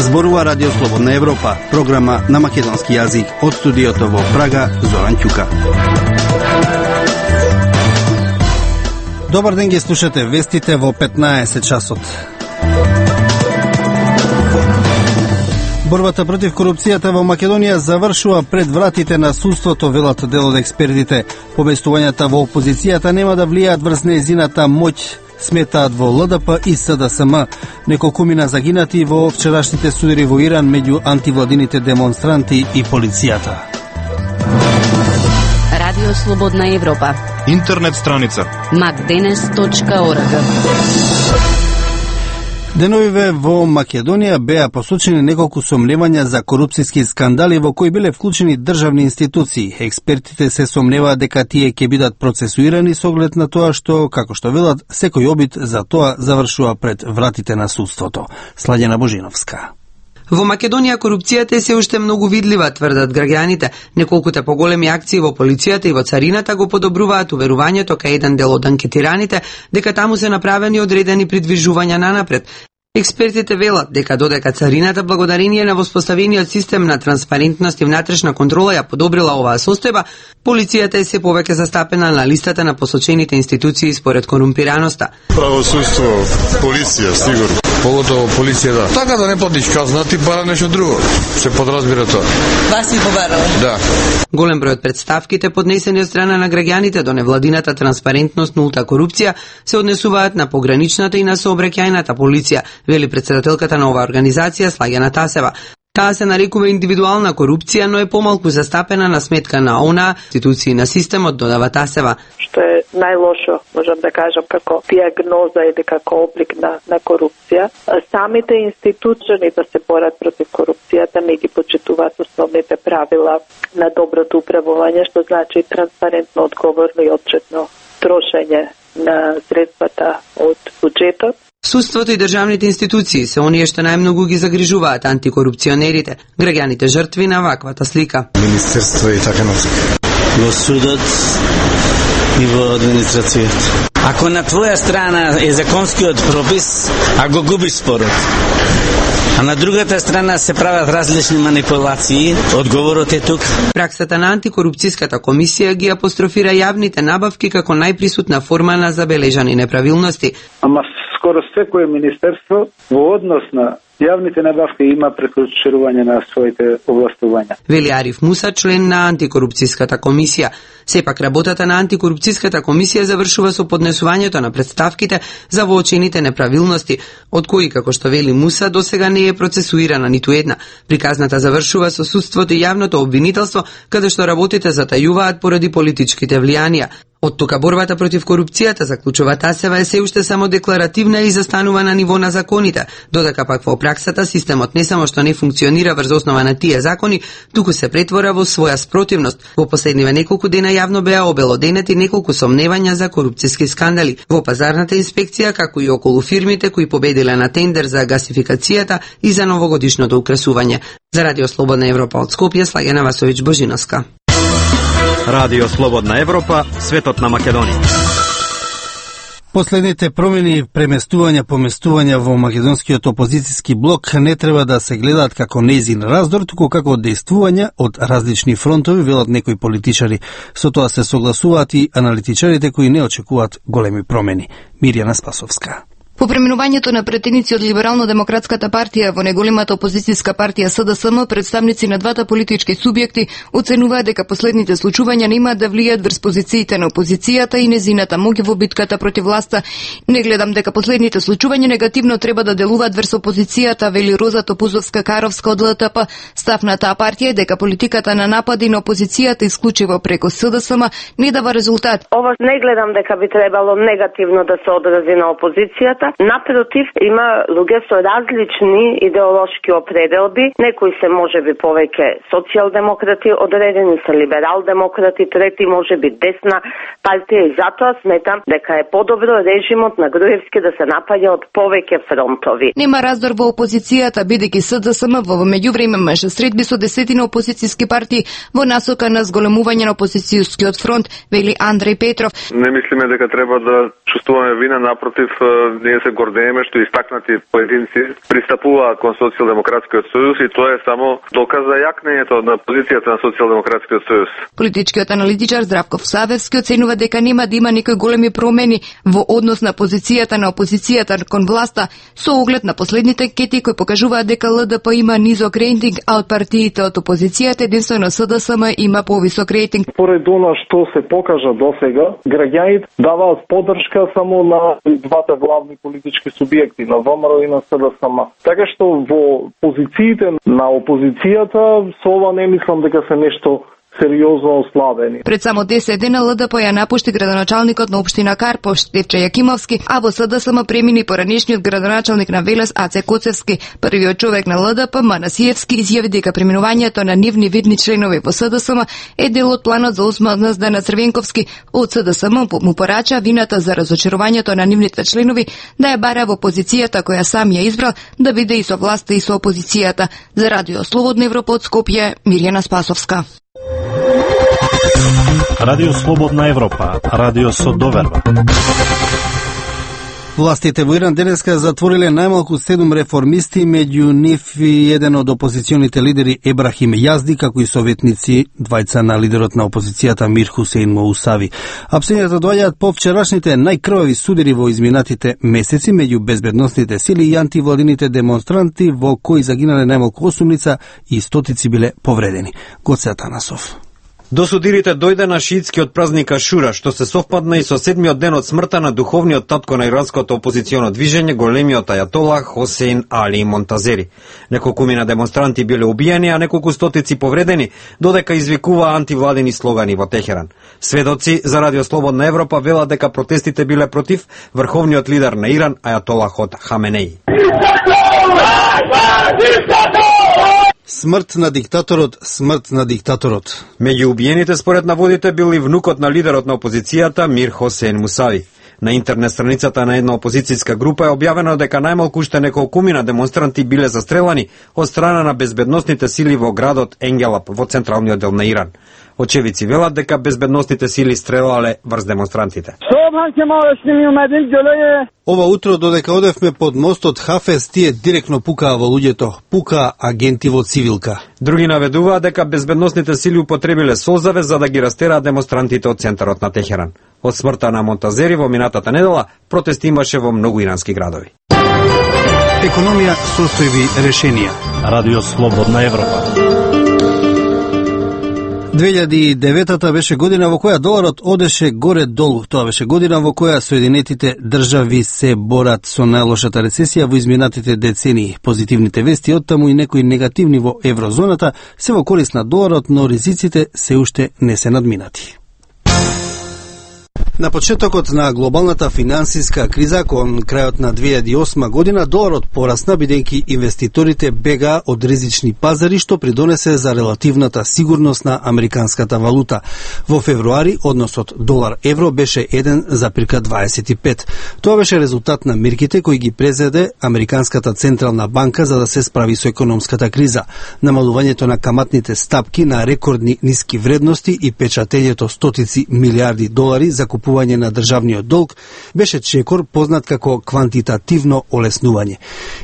Зборува Радио Слободна Европа, програма на македонски јазик од студиото во Прага, Зоран Ќука. Добар ден, ги слушате вестите во 15 часот. Борбата против корупцијата во Македонија завршува пред вратите на судството, велат дел од експертите. Поместувањата во опозицијата нема да влијаат врз нејзината моќ, сметаат во ЛДП и СДСМ. Неколкумина загинати во вчерашните судари во Иран меѓу антивладините демонстранти и полицијата. Радио Слободна Европа. Интернет страница macdenes.org. Деновиве во Македонија беа посочени неколку сомневања за корупцијски скандали во кои биле вклучени државни институции. Експертите се сомневаат дека тие ќе бидат процесуирани со оглед на тоа што, како што велат, секој обид за тоа завршува пред вратите на судството. Сладена Божиновска. Во Македонија корупцијата е се уште многу видлива, тврдат граѓаните. Неколкуте поголеми акции во полицијата и во царината го подобруваат уверувањето кај еден дел од анкетираните дека таму се направени одредени придвижувања нанапред. Експертите велат дека додека царината благодарение на воспоставениот систем на транспарентност и внатрешна контрола ја подобрила оваа состојба, полицијата е се повеќе застапена на листата на посочените институции според корумпираноста. Правосудство, полиција, сигурно. Поготово полиција, да. Така да не платиш казна, ти пара нешто друго. Се подразбира тоа. Вас си побарала? Да. Голем број од представките поднесени од страна на граѓаните до невладината транспарентност, нулта корупција се однесуваат на пограничната и на сообраќајната полиција, вели председателката на оваа организација Слагена Тасева. Таа се нарекува индивидуална корупција, но е помалку застапена на сметка на она институции на системот, додава Тасева. Што е најлошо, можам да кажам, како диагноза или како облик на корупција. Самите институции да се борат против корупцијата не ги почитуваат основните правила на доброто управување, што значи транспарентно, одговорно и отчетно трошење на средствата од буџетот. Судството и државните институции се оние што најмногу ги загрижуваат антикорупционерите, граѓаните жртви на ваквата слика. Министерство и така натаму. Во судот и во администрацијата. Ако на твоја страна е законскиот пропис, а го губиш спорот, а на другата страна се прават различни манипулации, одговорот е тук. Праксата на антикорупцијската комисија ги апострофира јавните набавки како најприсутна форма на забележани неправилности. Ама скоро секое министерство во однос на јавните набавки има прекрушување на своите овластувања. Вели Ариф Муса, член на антикорупцијската комисија. Сепак работата на антикорупцијската комисија завршува со поднесувањето на представките за воочените неправилности, од кои, како што вели Муса, досега не е процесуирана ниту една. Приказната завршува со судството и јавното обвинителство, каде што работите затајуваат поради политичките влијанија. Од тука борбата против корупцијата, заклучува Тасева, е се уште само декларативна и застанува на ниво на законите, додека пак во праксата системот не само што не функционира врз основа на тие закони, туку се претвора во своја спротивност. Во последниве неколку дена јавно беа обелоденети неколку сомневања за корупцијски скандали во пазарната инспекција, како и околу фирмите кои победиле на тендер за гасификацијата и за новогодишното украсување. За Радио Слободна Европа од Скопје, Слагена Васовиќ Божиновска. Радио Слободна Европа, светот на Македонија. Последните промени, поместувања во македонскиот опозицијски блок не треба да се гледаат како нејзин раздор, туку како дејствувања од различни фронтови, велат некои политичари. Со тоа се согласуваат и аналитичарите кои не очекуваат големи промени. Мирјана Спасовска. По преминувањето на претеници од Либерално-демократската партија во неголемата опозицијска партија СДСМ, представници на двата политички субјекти оценуваат дека последните случувања нема да влијат врз позициите на опозицијата и незината моќ во битката против власта. Не гледам дека последните случувања негативно треба да делуваат врз опозицијата, вели Роза Топузовска-Каровска од ЛТП. Став на таа партија е дека политиката на напади на опозицијата исклучиво преко СДСМ не дава резултат. Ова не гледам дека би требало негативно да се одрази на опозицијата. Напротив, има луѓе со различни идеолошки определби, некои се можеби повеќе социјалдемократи, одредени се либерал-демократи, трети можеби десна партија и затоа сметам дека е подобро режимот на Груевски да се напаѓа од повеќе фронтови. Нема раздор во опозицијата, бидејќи СДСМ во меѓувреме имаше средби со десетина опозицијски партии во насока на зголемување на опозицијскиот фронт, вели Андреј Петров. Не мислиме дека треба да чувствуваме вина, напротив, ние ние се гордееме што истакнати поединци пристапуваат кон Социјалдемократскиот сојуз и тоа е само доказ за јакнењето на позицијата на Социјалдемократскиот сојуз. Политичкиот аналитичар Здравко Всавевски оценува дека нема да има никои големи промени во однос на позицијата на опозицијата кон власта со оглед на последните анкети кои покажуваат дека ЛДП има низок рейтинг, а од партиите од опозицијата единствено СДСМ има повисок рейтинг. Поред она што се покажа досега, граѓаните даваат поддршка само на двата главни политички субјекти, на ВМРО и на СДСМ. Така што во позициите на опозицијата со ова не мислам дека се нешто сериозно ослабени. Пред само 10 дена ЛДП ја напушти градоначалникот на општина Карпов Штефче Јакимовски, а во СДСМ премини поранешниот градоначалник на Велес Аце Коцевски. Првиот човек на ЛДП Манасиевски изјави дека преминувањето на нивни видни членови во СДСМ е дел од планот за осмазда на Црвенковски. Од СДСМ му порача вината за разочарувањето на нивните членови да ја бара во позицијата која сам ја избрал, да биде и со власта и со опозицијата. За Радио Слободна Европа од Скопје, Мирјана Спасовска. Радио Слободна Европа, радио со доверба. Властите во Иран денеска затвориле најмалку 7 реформисти, меѓу нив и еден од опозиционите лидери Ебрахим Јазди, како и советници двајца на лидерот на опозицијата Мир Хусейн Моусави. Апсењата доаѓаат по вчерашните најкрвави судири во изминатите месеци меѓу безбедносните сили и антивладините демонстранти, во кои загинале најмалку 8 лица и стотици биле повредени. Гоце Атанасов. До судирите дојде на шиитскиот празник Ашура, што се совпадна и со 7-миот ден од смртта на духовниот татко на иранското опозиционо движење, големиот ајатола Хосейн Али Монтазери. Неколкумина демонстранти биле убиени, а неколку стотици повредени, додека извикува антивладени слогани во Техеран. Сведоци за Радио Слободна Европа велат дека протестите биле против врховниот лидер на Иран, ајатолахот Хаменеи. Смрт на диктаторот, смрт на диктаторот. Меѓу убиените според наводите бил и внукот на лидерот на опозицијата Мир Хосейн Мусави. На интернет страницата на една опозицијска група е објавено дека најмалку уште неколкумина демонстранти биле застрелани од страна на безбедносните сили во градот Енгелап во централниот дел на Иран. Очевидци велат дека безбедносните сили стрелале врз демонстрантите. Ова утро додека одевме под мостот Хафез, тие директно пукаа во луѓето, пукаа агенти во цивилка. Други наведуваат дека безбедносните сили употребиле солзаве за да ги растераат демонстрантите од центарот на Техеран. Од смртта на Монтазери во минатата недела протести имаше во многу ирански градови. Економија, состојби, решенија. Радио Слободна Европа. 2009 беше година во која доларот одеше горе-долу. Тоа беше година во која Соединетите држави се борат со најлошата рецесија во изминатите децении. Позитивните вести од таму и некои негативни во еврозоната се во корист на доларот, но ризиците се уште не се надминати. На почетокот на глобалната финансиска криза кон крајот на 2008 година доларот порасна бидејќи инвеститорите бегаа од ризични пазари, што придонесе за релативната сигурност на американската валута. Во февруари односот долар-евро беше 1,25. Тоа беше резултат на мерките кои ги презеде Американската централна банка за да се справи со економската криза. Намалувањето на каматните стапки на рекордни ниски вредности и печатењето стотици милиарди долари за купување на државниот долг беше чекор познат како квантитативно олеснување.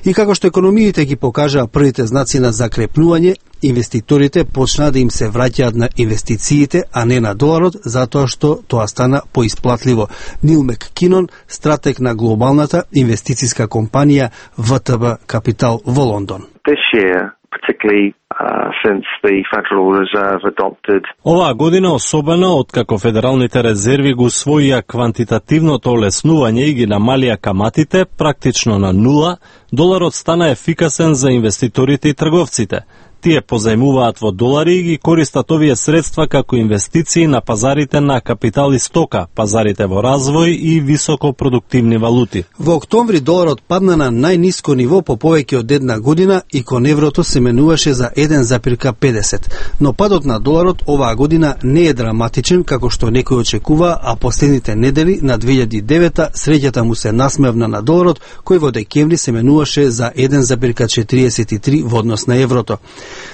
И како што економиите ги покажаа првите знаци на закрепнување, инвеститорите почнаа да им се враќаат на инвестициите, а не на доларот, затоа што тоа стана поисплатливо. Нил Маккинон, стратег на глобалната инвестициска компанија ВТБ Капитал во Лондон. Оваа година особено откако федералните резерви го усвоија квантитативното олеснување и ги намалија каматите практично на нула, доларот стана ефикасен за инвеститорите и трговците. Тие позајмуваат во долари и ги користат овие средства како инвестиции на пазарите на капитал и стока, пазарите во развој и високопродуктивни валути. Во октомври доларот падна на најниско ниво по повеќе од една година и кон еврото се менуваше за 1,50. Но падот на доларот оваа година не е драматичен како што некој очекува, а последните недели на 2009 среќата му се насмевна на доларот, кој во декември се менуваше за 1,43 во однос на еврото.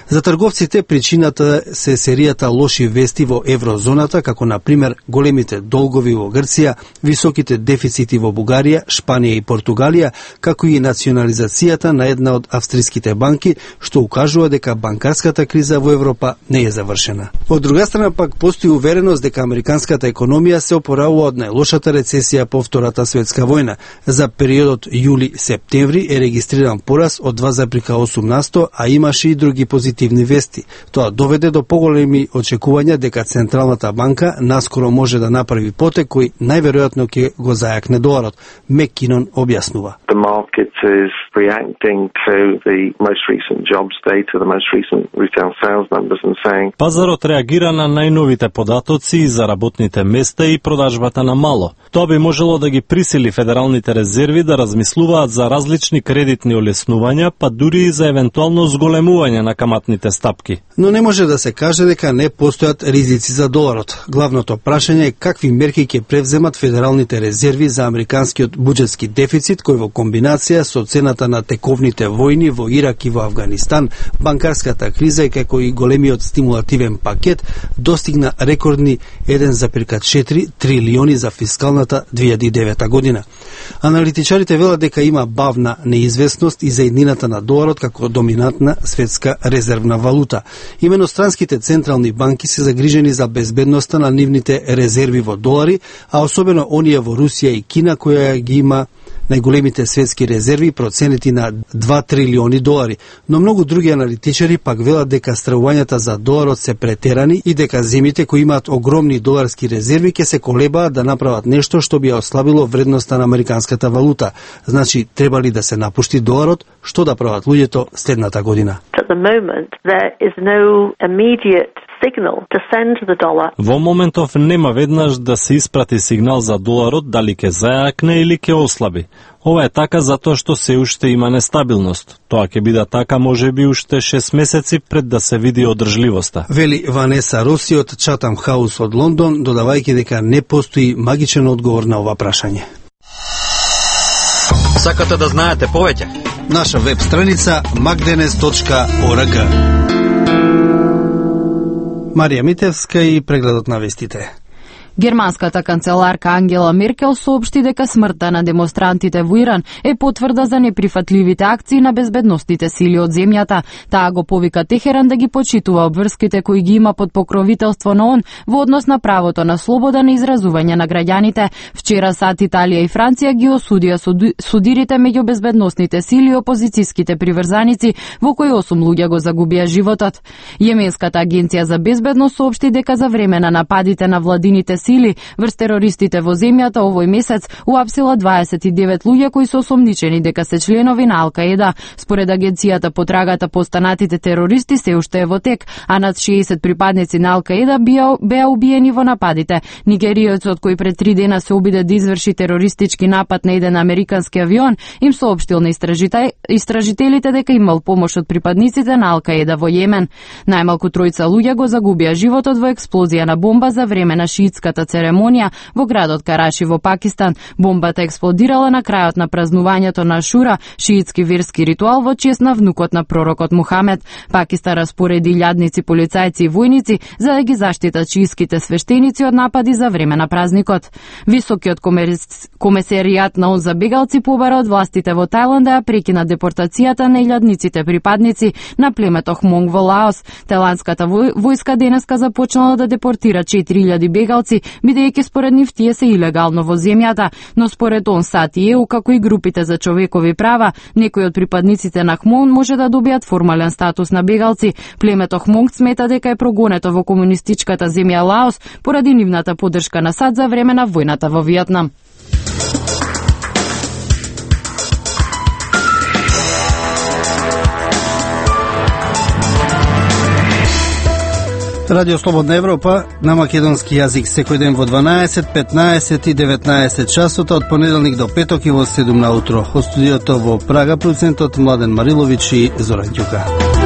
За трговците причината се серијата лоши вести во еврозоната, како на пример големите долгови во Грција, високите дефицити во Бугарија, Шпанија и Португалија, како и национализацијата на една од австриските банки, што укажува дека банкарската криза во Европа не е завршена. Од друга страна пак постои увереност дека американската економија се опоравува од најлошата рецесија по Втората светска војна. За периодот јули-септември е регистриран порас од 2,8%, а имаше и други позитивни вести. Тоа доведе до поголеми очекувања дека Централната банка наскоро може да направи потек кој најверојатно ќе го зајакне доларот. Меккинон објаснува. The market is reacting to the most recent jobs data, the most recent retail sales numbers and saying Пазарот реагира на најновите податоци за работните места и продажбата на мало. Тоа би можело да ги присили федералните резерви да размислуваат за различни кредитни олеснувања, па дури и за евентуално зголемување на каматните стапки. Но не може да се каже дека не постојат ризици за доларот. Главното прашање е какви мерки ќе превземат федералните резерви за американскиот буџетски дефицит, кој во комбинација со цената на тековните војни во Ирак и во Авганистан, банкарската криза и како и големиот стимулативен пакет достигна рекордни 1,4 трилиони за фискалната 2009 година. Аналитичарите велат дека има бавна неизвестност и за иднината на доларот како доминантна светска резервна валута. Имено странските централни банки се загрижени за безбедноста на нивните резерви во долари, а особено оние во Русија и Кина, која ги има најголемите светски резерви проценети на 2 трилиони долари, но многу други аналитичари пак велат дека стравувањата за доларот се претерани и дека земјите кои имаат огромни доларски резерви ќе се колебаат да направат нешто што би ја ослабило вредноста на американската валута. Значи, треба ли да се напушти доларот? Што да прават луѓето следната година? At the moment, there is no immediate signal to send the dollar. Во моментов нема веднаш да се испрати сигнал за доларот дали ќе зајакне или ќе ослаби. Ова е така затоа што се уште има нестабилност. Тоа ќе биде така можеби уште 6 месеци пред да се види одржливоста. Вели Ванеса Роси од Chatham House од Лондон, додавајќи дека не постои магичен одговор на ова прашање. Сакате да знаете повеќе? Наша веб страница magdenes.org. Марија Митевска и прегледот на вестите. Германската канцеларка Ангела Меркел соопшти дека смртта на демонстрантите во Иран е потврда за неприфатливите акции на безбедностните сили од земјата. Таа го повика Техеран да ги почитува обврските кои ги има под покровителство на ООН во однос на правото на слобода на изразување на граѓаните. Вчера САД, Италија и Франција ги осудија судирите меѓу безбедностните сили и опозицијските приврзаници, во кои 8 луѓе го загубија животот. Јеменската агенција за безбедност соопшти дека за време на нападите на владините сили врз терористите во земјата овој месец уапсила 29 луѓе кои се осомничени дека се членови на Ал-Каеда. Според агенцијата, потрагата по останатите терористи се уште е во тек, а над 60 припадници на Ал-Каеда беа убиени во нападите. Нигеријецот кој пред 3 дена се обиде да изврши терористички напад на еден американски авион, им соопштил на истражителите дека имал помош од припадниците на Ал-Каеда во Јемен. Најмалку 3 луѓе го загубија животот во експлозија на бомба за време на шиитската церемонија во градот Караши во Пакистан. Бомбата експлодирала на крајот на празнувањето на Шура, шиитски верски ритуал во чест на внукот на пророкот Мухамед. Пакистан распореди илјадници полицајци и војници за да ги заштитат шиитските свештеници од напади за време на празникот. Високиот комесаријат на ООН за бегалци побара од властите во Тајланд да ја прекинат депортацијата на илјадниците припадници на племето Хмонг во Лаос. Тајландската војска денеска започнала да депортира 4000 бегалци, бидејќи според нив тие се илегално во земјата, но според ООН, САД и ЕУ, како и групите за човекови права, некои од припадниците на Хмонг може да добијат формален статус на бегалци. Племето Хмонг смета дека е прогонето во комунистичката земја Лаос поради нивната поддршка на САД за време на војната во Виетнам. Радио Слободна Европа на македонски јазик секој ден во 12, 15 и 19 часот од понеделник до петок и во 7 на утро. Од студиото во Прага, продуцентот Младен Марилович и Зоран Ѓука.